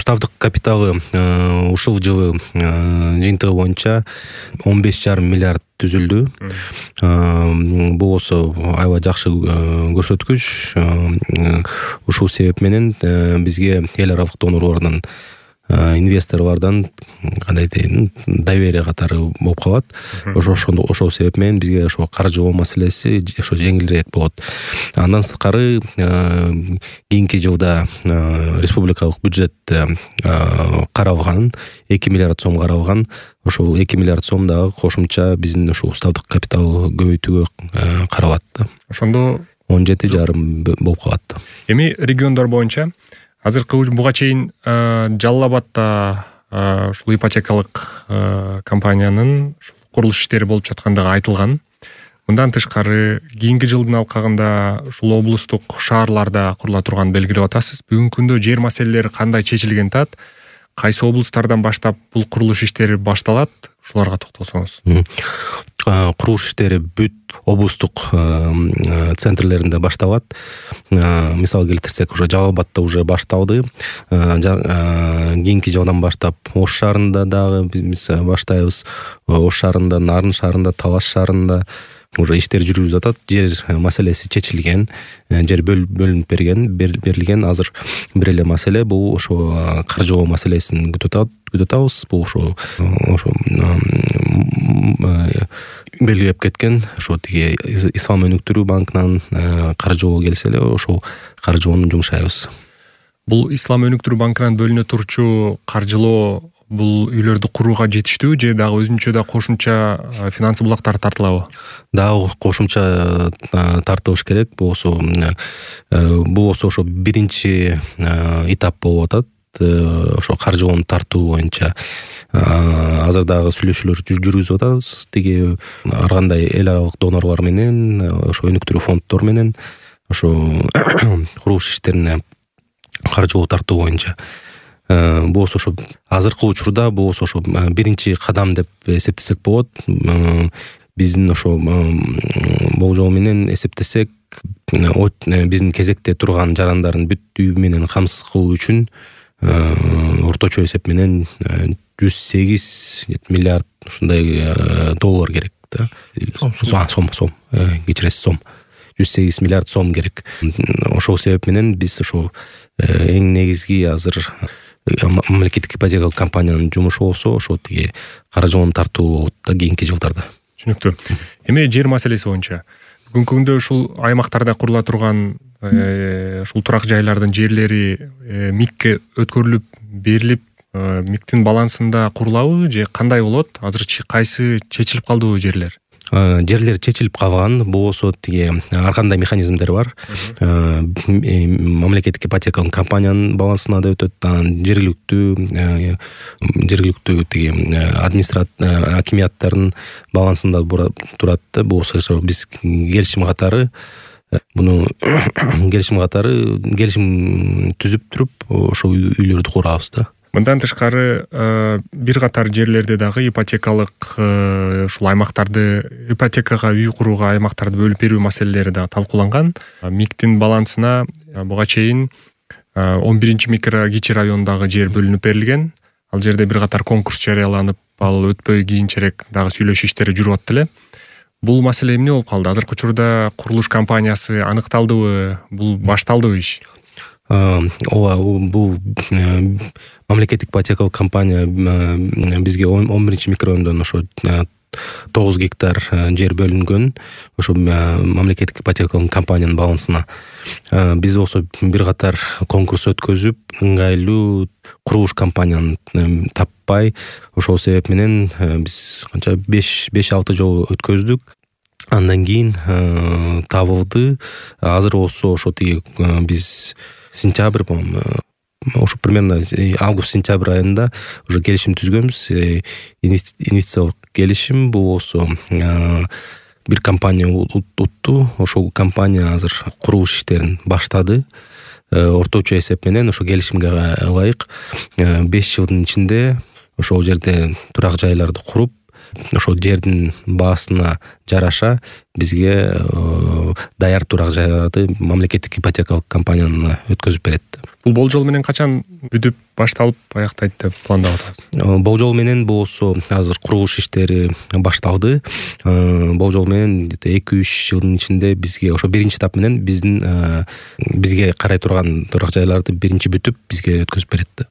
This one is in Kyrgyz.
Уставдык капиталы ушул жылы жыйынтыгы боюнча 15,5 миллиард түзүлдү. Бул болсо аябай жакшы көрсөткүч. Ушул себеп менен бизге эл аралык донорлордон, инвесторлордон кандай дейм, доверие катары болуп калат. Ошол себеп менен бизге ошо каржылоо маселеси ошо жеңилирээк болот. Андан сырткары кийинки жылда республикалык бюджетте каралган 2 миллиард сом каралган. Ошол 2 миллиард сом дагы кошумча биздин ошо уставдык капитал көбөйтүүгө каралат. Ошондо 17,5 болуп калат. Эми региондор боюнча азыркы буга чейин Жалал Абадда ушул ипотекалык компаниянын курулуш иштери болуп жаткандыгы айтылган. Мындан тышкары кийинки жылдын алкагында ушул облустук шаарларда курула турганын белгилеп атасыз. Бүгүнкү күндө жер маселелери кандай чечилген тат? Кайсы облустардан баштап бул курулуш иштери башталат? Ушуларга токтолсоңуз. Курулуш иштери бүт облустук центрлеринде башталат. Мисал келтирсек, уже Жалал Абадда уже башталды. Кийинки жылдан баштап Ош шаарында дагы биз баштайбыз. Ош шаарында, Нарын шаарында, Талаш шаарында уже иштер жүрүлүп жатат. Жер маселеси чечилген, жер бөлүнүп берилген. Азыр бир эле маселе бул ошо каржылоо маселесин күтүп атабыз. Бул ошо белгилеп кеткен ошо тиги Ислам өнүктүрүү банкынан каржылоо келсе эле ошол каржылоону жумшайбыз. Бул Ислам өнүктүрүү банкынан бөлүнө турчу каржылоо бул үйлөрдү курууга жетиштүү же дагы өзүнчө да кошумча финансы булактар тартылабы? Дагы кошумча тартылыш керек. Бул болсо ошо биринчи этап болуп атат. Ошо каржылоону тартуу боюнча азыр дагы сүйлөшүүлөр жүргүзүп атабыз. Тиги ар кандай эл аралык донорлор менен, ошо өнүктүрүү фонддор менен ошо курулуш иштерине каржылоо тартуу боюнча. Бул болсо ошо азыркы учурда бул болсо ошо биринчи кадам деп эсептесек болот. Биздин ошо болжол менен эсептесек, биздин кезекте турган жарандардын бүттүү менен камсыз кылуу үчүн орточо эсеп менен 108 миллиард ушундай доллар керек да. Сом, кечиресиз, сом. 108 миллиард сом керек. Ошол себеп менен биз ошо эң негизги азыр мамлекеттик ипотекалык компаниянын жумушу болсо ошо тиги каржылоону тартуу болот да кийинки жылдарда. Түшүнүктүү. Эми жер маселеси боюнча бүгүнкү күндө ушул аймактарда курула турган ушул турак жайлардын жерлери МИКке өткөрүлүп берилип, МИКтин балансында курулабы же кандай болот? Азыр кайсы чечилип калдыбы жерлер? Жерлер чечилип калган. Бул болсо тиги ар кандай механизмдер бар. Мамлекеттик ипотекалык компаниянын балансына да өтөт, жергиликтүү тиги акимияттардын балансында турат. Бул болсо биз келишим катары түзүп туруп ошол үйлөрдү курабыз да. Мындан тышкары бир катар жерлерде дагы ипотекалык ушул аймактарды ипотекага үй курууга аймактарды бөлүп берүү маселелери дагы талкууланган. МИКтин балансына буга чейин 11 микро кичи райондагы жер бөлүнүп берилген. Ал жерде бир катар конкурс жарыяланып, ал өтпөй кийинчерээк дагы сүйлөшүү иштери жүрүп атты эле. Бул маселе эмне болуп калды? Азыркы учурда курулуш компаниясы аныкталдыбы? Бул башталдыбы иш? Бул мамлекеттик ипотекалык компания бизге 11 микрорайондон ошо 9 гектар жер бөлүнгөн. Ошо мамлекеттик ипотекалык компаниянын балансына. Биз болсо бир катар конкурс өткөзүп, ыңгайлуу курулуш компанияны таппай, ошол себеп менен биз канча 5-6 жолу өткөздүк. Андан кийин табылды. Азыр болсо ошо тиги биз сентябрь, ошо примерно август-сентябрь айында уже келишим түзгөнбүз. Инвестициялык келишим. Бул болсо бир компания утту. Ошол компания азыр курулуш иштерин баштады. Орточо эсеп менен ошо келишимге ылайык 5 жылдын ичинде ошол жерде турак жайларды куруп, ошол жердин баасына жараша бизге даяр турак жайларды мамлекеттик ипотекалык компания өткөзүп берет. Бул болжол менен качан бүтүп башталып аяктайт деп пландап атабыз? Болжол менен болсо азыр курулуш иштери башталды. Болжол менен 2-3 жылдын ичинде бизге ошо биринчи этап менен бизге карай турган турак жайларды биринчи бүтүп бизге өткөзүп берет.